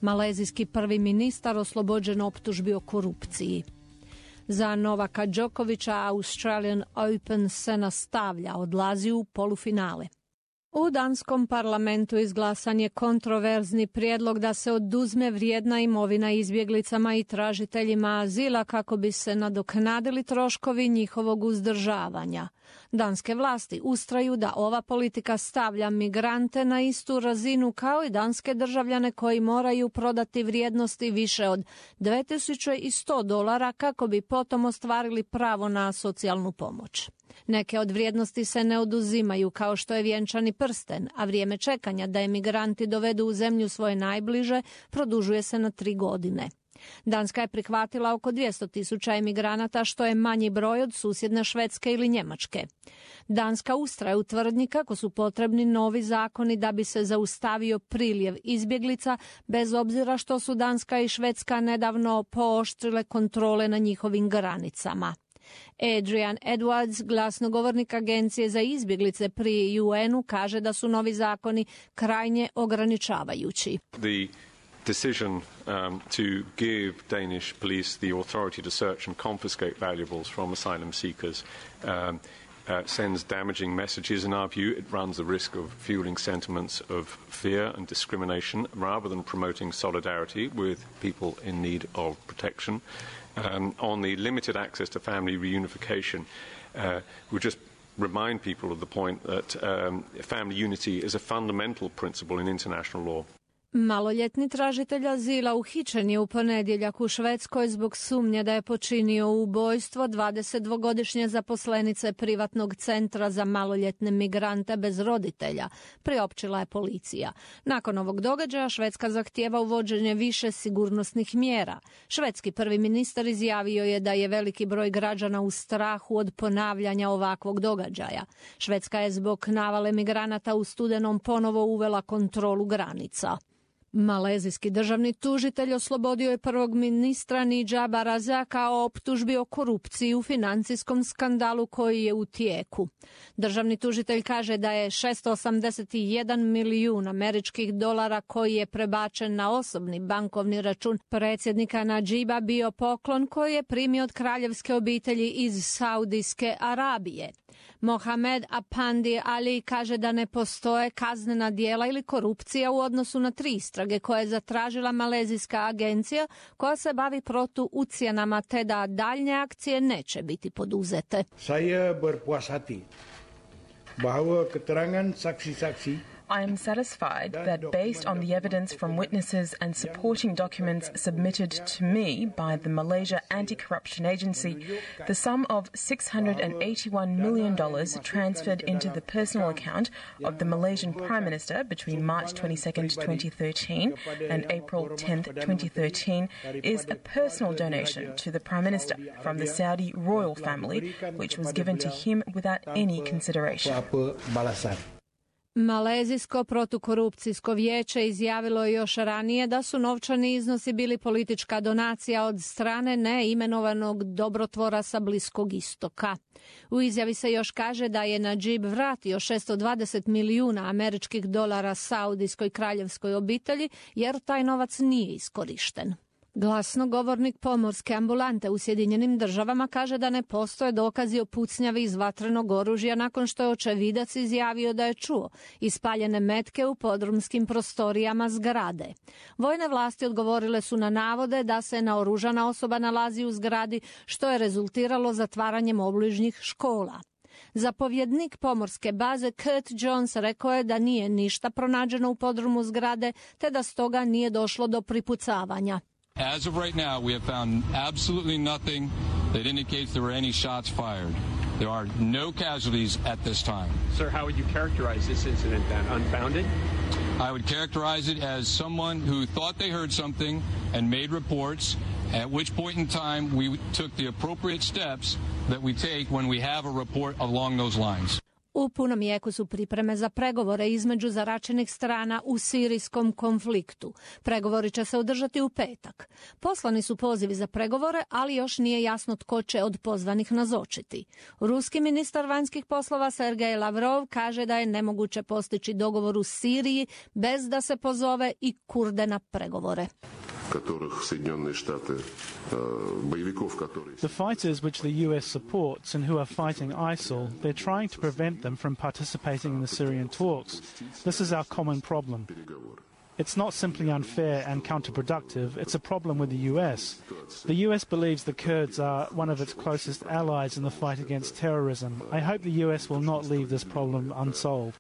Malezijski prvi ministar oslobođen optužbi o korupciji. Za Novaka Đokovića Australian Open se nastavlja, odlazi u polufinale. U danskom parlamentu izglasan je kontroverzni prijedlog da se oduzme vrijedna imovina izbjeglicama i tražiteljima azila kako bi se nadoknadili troškovi njihovog uzdržavanja. Danske vlasti ustraju da ova politika stavlja migrante na istu razinu kao i danske državljane koji moraju prodati vrijednosti više od $2100 kako bi potom ostvarili pravo na socijalnu pomoć. Neke od vrijednosti se ne oduzimaju kao što je vjenčani prsten, a vrijeme čekanja da emigranti dovedu u zemlju svoje najbliže produžuje se na 3 godine. Danska je prihvatila oko 200.000 emigranata, što je manji broj od susjedne Švedske ili Njemačke. Danska ustraje u tvrdnji kako su potrebni novi zakoni da bi se zaustavio priljev izbjeglica, bez obzira što su Danska i Švedska nedavno pooštrile kontrole na njihovim granicama. Adrian Edwards, glasnogovornik Agencije za izbjeglice pri UN-u, kaže da su novi zakoni krajnje ograničavajući. The decision to give Danish police the authority to search and confiscate valuables from asylum seekers sends damaging messages in our view. It runs the risk of fueling sentiments of fear and discrimination rather than promoting solidarity with people in need of protection. On the limited access to family reunification, we just remind people of the point that family unity is a fundamental principle in international law. Maloljetni tražitelj azila uhićen je u ponedjeljak u Švedskoj zbog sumnje da je počinio ubojstvo 22-godišnje zaposlenice privatnog centra za maloljetne migrante bez roditelja, priopćila je policija. Nakon ovog događaja Švedska zahtijeva uvođenje više sigurnosnih mjera. Švedski prvi ministar izjavio je da je veliki broj građana u strahu od ponavljanja ovakvog događaja. Švedska je zbog navale migranata u studenom ponovo uvela kontrolu granica. Malezijski državni tužitelj oslobodio je prvog ministra Nidžaba Razaka o optužbi o korupciji u financijskom skandalu koji je u tijeku. Državni tužitelj kaže da je $681 milijun američkih dolara koji je prebačen na osobni bankovni račun predsjednika Nadžiba bio poklon koji je primio od kraljevske obitelji iz Saudijske Arabije. Mohamed Apandi Ali kaže da ne postoje kaznena djela ili korupcija u odnosu na 3 istrage koje je zatražila malezijska agencija koja se bavi protuucjenama te da daljnje akcije neće biti poduzete. Saya berpuas hati bahwa keterangan saksi-saksi I am satisfied that based on the evidence from witnesses and supporting documents submitted to me by the Malaysia Anti-Corruption Agency, the sum of $681 million transferred into the personal account of the Malaysian Prime Minister between March 22nd, 2013 and April 10th, 2013 is a personal donation to the Prime Minister from the Saudi royal family, which was given to him without any consideration. Malezijsko protukorupcijsko vijeće izjavilo je još ranije da su novčani iznosi bili politička donacija od strane neimenovanog dobrotvora sa Bliskog istoka. U izjavi se još kaže da je Nadžib vratio $620 milijuna američkih dolara saudijskoj kraljevskoj obitelji jer taj novac nije iskorišten. Glasnogovornik pomorske ambulante u Sjedinjenim Državama kaže da ne postoje dokazi o pucnjavi iz vatrenog oružja nakon što je očevidac izjavio da je čuo ispaljene metke u podrumskim prostorijama zgrade. Vojne vlasti odgovorile su na navode da se naoružana osoba nalazi u zgradi što je rezultiralo zatvaranjem obližnjih škola. Zapovjednik pomorske baze Kurt Jones rekao je da nije ništa pronađeno u podrumu zgrade te da stoga nije došlo do pripucavanja. As of right now, we have found absolutely nothing that indicates there were any shots fired. There are no casualties at this time. Sir, how would you characterize this incident then? Unfounded? I would characterize it as someone who thought they heard something and made reports, at which point in time we took the appropriate steps that we take when we have a report along those lines. U punom jeku su pripreme za pregovore između zaračenih strana u sirijskom konfliktu. Pregovori će se održati u petak. Poslani su pozivi za pregovore, ali još nije jasno tko će od pozvanih nazočiti. Ruski ministar vanjskih poslova Sergej Lavrov kaže da je nemoguće postići dogovor u Siriji bez da se pozove i Kurde na pregovore. The fighters which the US supports and who are fighting ISIL, they're trying to prevent them from participating in the Syrian talks. This is our common problem. It's not simply unfair and counterproductive, it's a problem with the US. The US believes the Kurds are one of its closest allies in the fight against terrorism. I hope the US will not leave this problem unsolved.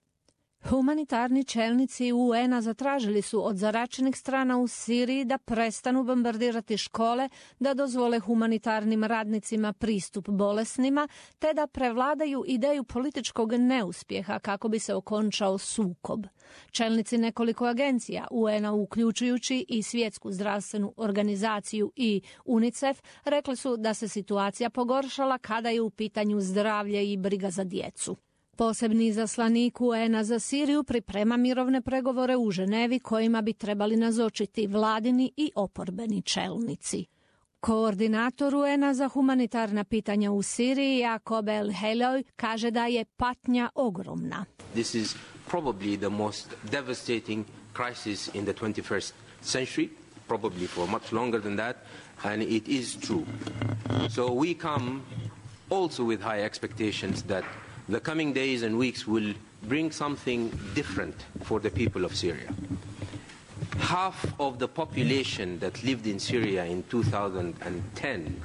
Humanitarni čelnici UN-a zatražili su od zaračenih strana u Siriji da prestanu bombardirati škole, da dozvole humanitarnim radnicima pristup bolesnima, te da prevladaju ideju političkog neuspjeha kako bi se okončao sukob. Čelnici nekoliko agencija UN-a, uključujući i Svjetsku zdravstvenu organizaciju i UNICEF, rekli su da se situacija pogoršala kada je u pitanju zdravlje i briga za djecu. Posebni izaslanik UN-a za Siriju priprema mirovne pregovore u Ženevi kojima bi trebali nazočiti vladini i oporbeni čelnici. Koordinator UN-a za humanitarna pitanja u Siriji, Jakob El-Heloj, kaže da je patnja ogromna. This is probably the most devastating crisis in the 21st century, probably for much longer than that, and it is true. So we come also with high expectations that the coming days and weeks will bring something different for the people of Syria. Half of the population that lived in Syria in 2010,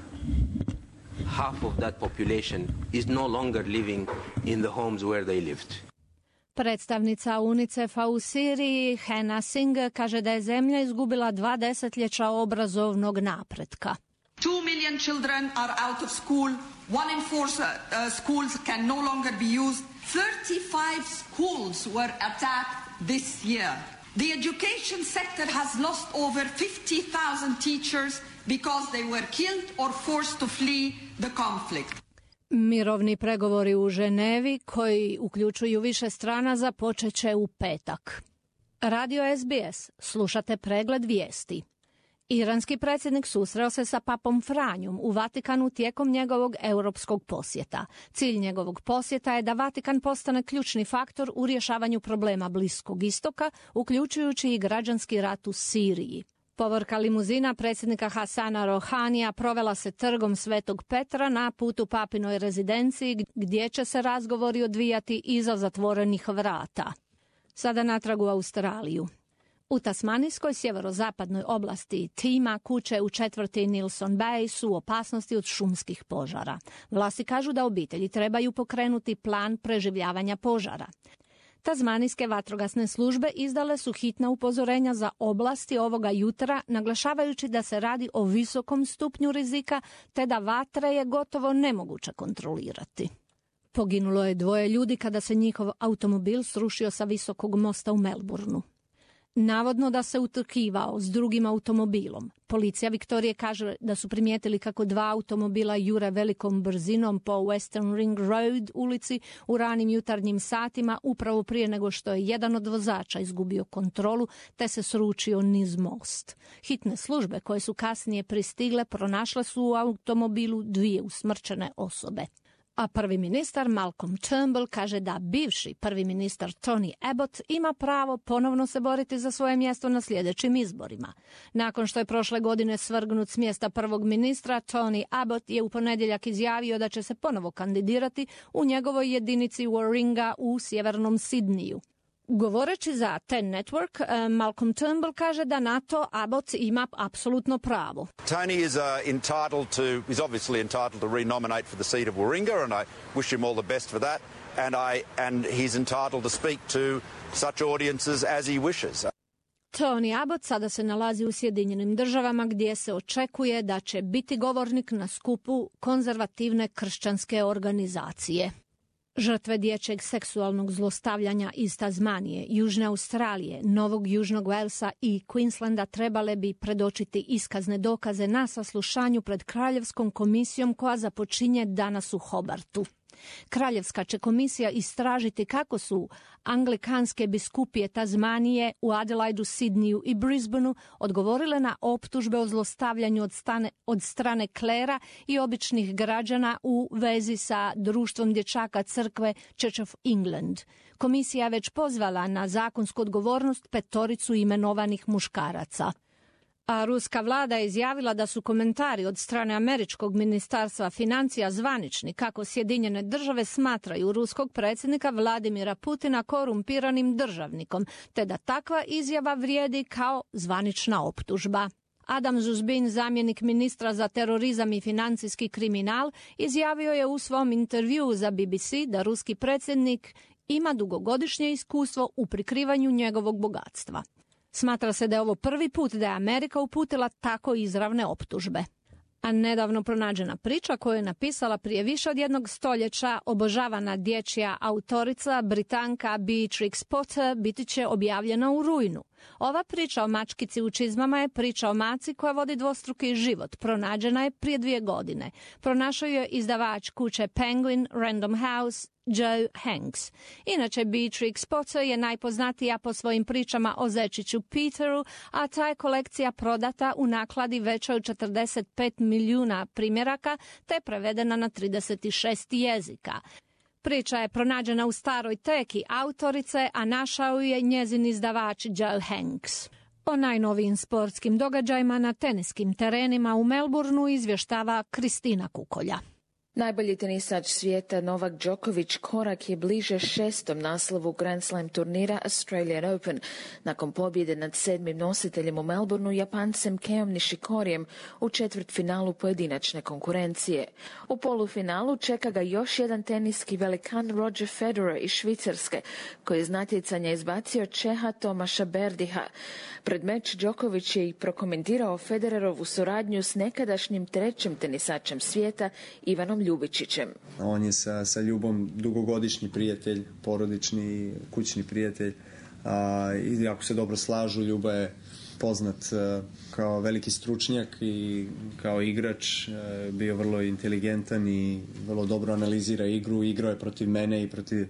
half of that population is no longer living in the homes where they lived. Predstavnica UNICEF-a u Siriji, Hena Singh, kaže da je zemlja izgubila 2 desetljeća obrazovnog napretka. 2 million children are out of school. 1 in 4 schools can no longer be used. 35 schools were attacked this year. The education sector has lost over 50,000 teachers because they were killed or forced to flee the conflict. Mirovni pregovori u Ženevi, koji uključuju više strana, započet će u petak. Radio SBS, slušate pregled vijesti. Iranski predsjednik susreo se sa papom Franjom u Vatikanu tijekom njegovog europskog posjeta. Cilj njegovog posjeta je da Vatikan postane ključni faktor u rješavanju problema Bliskog istoka, uključujući i građanski rat u Siriji. Povorka limuzina predsjednika Hasana Rohanija provela se trgom Svetog Petra na putu papinoj rezidenciji, gdje će se razgovori odvijati iza zatvorenih vrata. Sada natrag u Australiju. U tasmanijskoj sjeverozapadnoj oblasti Tima kuće u četvrti Nilson Bay su u opasnosti od šumskih požara. Vlasti kažu da obitelji trebaju pokrenuti plan preživljavanja požara. Tasmanijske vatrogasne službe izdale su hitna upozorenja za oblasti ovoga jutra, naglašavajući da se radi o visokom stupnju rizika te da vatre je gotovo nemoguće kontrolirati. Poginulo je 2 ljudi kada se njihov automobil srušio sa visokog mosta u Melbourneu. Navodno da se utrkivao s drugim automobilom. Policija Viktorije kaže da su primijetili kako 2 automobila jure velikom brzinom po Western Ring Road ulici u ranim jutarnjim satima, upravo prije nego što je jedan od vozača izgubio kontrolu te se sručio niz most. Hitne službe koje su kasnije pristigle pronašle su u automobilu 2 usmrćene osobe. A prvi ministar Malcolm Turnbull kaže da bivši prvi ministar Tony Abbott ima pravo ponovno se boriti za svoje mjesto na sljedećim izborima. Nakon što je prošle godine svrgnut s mjesta prvog ministra, Tony Abbott je u ponedjeljak izjavio da će se ponovo kandidirati u njegovoj jedinici Warringah u sjevernom Sidniju. Govoreći za Ten Network, Malcolm Turnbull kaže da na to Abbott ima apsolutno pravo. Tony is is obviously entitled to renominate for the seat of Warringah, and I wish him all the best for that. And he's entitled to speak to such audiences as he wishes. Tony Abbott sada se nalazi u Sjedinjenim Državama gdje se očekuje da će biti govornik na skupu konzervativne kršćanske organizacije. Žrtve dječjeg seksualnog zlostavljanja iz Tasmanije, Južne Australije, Novog Južnog Walesa i Queenslanda trebale bi predočiti iskazne dokaze na saslušanju pred Kraljevskom komisijom koja započinje danas u Hobartu. Kraljevska će komisija istražiti kako su anglikanske biskupije Tazmanije u Adelaidu, Sidniju i Brisbaneu odgovorile na optužbe o zlostavljanju od strane klera i običnih građana u vezi sa društvom dječaka crkve Church of England. Komisija već pozvala na zakonsku odgovornost 5 imenovanih muškaraca. A ruska vlada je izjavila da su komentari od strane američkog ministarstva financija zvanični kako Sjedinjene države smatraju ruskog predsjednika Vladimira Putina korumpiranim državnikom, te da takva izjava vrijedi kao zvanična optužba. Adam Zuzbin, zamjenik ministra za terorizam i financijski kriminal, izjavio je u svom intervjuu za BBC da ruski predsjednik ima dugogodišnje iskustvo u prikrivanju njegovog bogatstva. Smatra se da je ovo prvi put da je Amerika uputila tako izravne optužbe. A nedavno pronađena priča koju je napisala prije više od 1 stoljeća obožavana dječja autorica Britanka Beatrix Potter biti će objavljena u rujnu. Ova priča o mačkici u čizmama je priča o maci koja vodi dvostruki život. Pronađena je prije 2 godine. Pronašao je izdavač kuće Penguin Random House Joe Hanks. Inače, Beatrix Potter je najpoznatija po svojim pričama o zečiću Peteru, a ta je kolekcija prodata u nakladi većoj od 45 milijuna primjeraka te prevedena na 36 jezika. Priča je pronađena u staroj teki autorice, a našao je njezin izdavač Joe Hanks. O najnovijim sportskim događajima na teniskim terenima u Melbourneu izvještava Kristina Kukolja. Najbolji tenisač svijeta Novak Djokovic korak je bliže 6. naslovu Grand Slam turnira Australian Open. Nakon pobjede nad 7. nositeljem u Melbourneu, Japancem Keom Nishikorijem u četvrtfinalu pojedinačne konkurencije. U polufinalu čeka ga još jedan teniski velikan Roger Federer iz Švicarske, koji je iz natjecanja izbacio Čeha Tomaša Berdiha. Pred meč Djokovic je i prokomentirao Federerovu suradnju s nekadašnjim 3. tenisačem svijeta Ivanom Ljubičićem. On je sa Ljubom dugogodišnji prijatelj, porodični, kućni prijatelj. I jako se dobro slažu. Ljuba je poznat kao veliki stručnjak i kao igrač. Bio vrlo inteligentan i vrlo dobro analizira igru. Igrao je protiv mene i protiv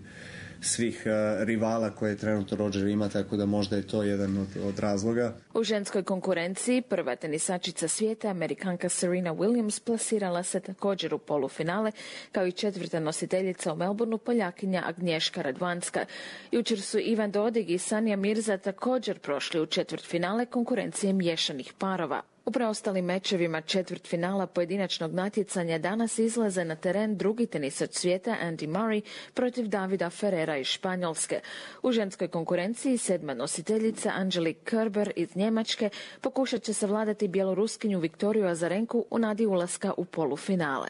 svih rivala koje trenutno Roger ima, tako da možda je to jedan od razloga. U ženskoj konkurenciji prva tenisačica svijeta, Amerikanka Serena Williams, plasirala se također u polufinale, kao i 4. nositeljica u Melbourneu, Poljakinja Agnješka Radvanska. Jučer su Ivan Dodig i Sanja Mirza također prošli u četvrtfinale konkurencije miješanih parova. U preostalim mečevima četvrtfinala pojedinačnog natjecanja danas izlaze na teren drugi tenisač svijeta Andy Murray protiv Davida Ferrera iz Španjolske. U ženskoj konkurenciji 7. nositeljica Angelique Kerber iz Njemačke pokušat će savladati bjeloruskinju Viktoriju Azarenku u nadi ulaska u polufinale.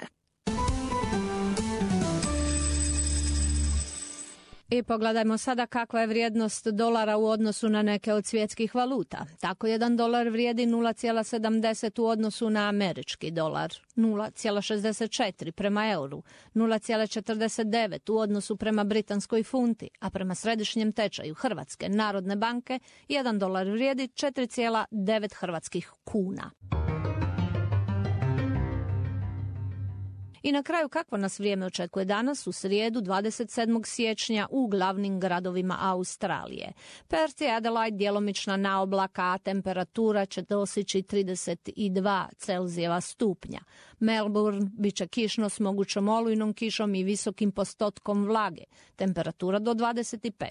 I pogledajmo sada kakva je vrijednost dolara u odnosu na neke od svjetskih valuta. Tako $1 vrijedi 0,70 u odnosu na američki dolar, 0,64 prema euru, 0,49 u odnosu prema britanskoj funti, a prema središnjem tečaju Hrvatske narodne banke $1 vrijedi 4,9 hrvatskih kuna. I na kraju, kakvo nas vrijeme očekuje danas u srijedu 27. siječnja u glavnim gradovima Australije. Perth i Adelaide djelomična naoblaka, a temperatura će doseći 32 Celzijeva stupnja. Melbourne bit će kišno s mogućom olujnom kišom i visokim postotkom vlage, temperatura do 25.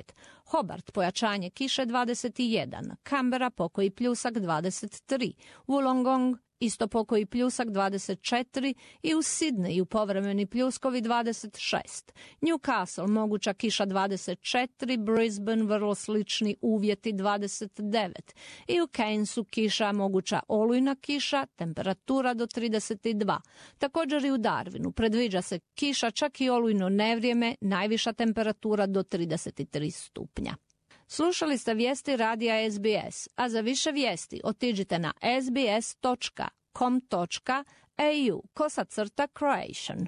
Hobart pojačanje kiše 21, Canberra pokoji pljusak 23, Wollongong isto pokoji pljusak 24 i u Sidneju povremeni pljuskovi 26. Newcastle moguća kiša 24, Brisbane vrlo slični uvjeti 29 i u Cairnsu kiša moguća olujna kiša, temperatura do 32. Također i u Darwinu predviđa se kiša, čak i olujno nevrijeme, najviša temperatura do 33 stupnja. Slušali ste vijesti radija SBS, a za više vijesti otiđite na sbs.com.au/Croatian.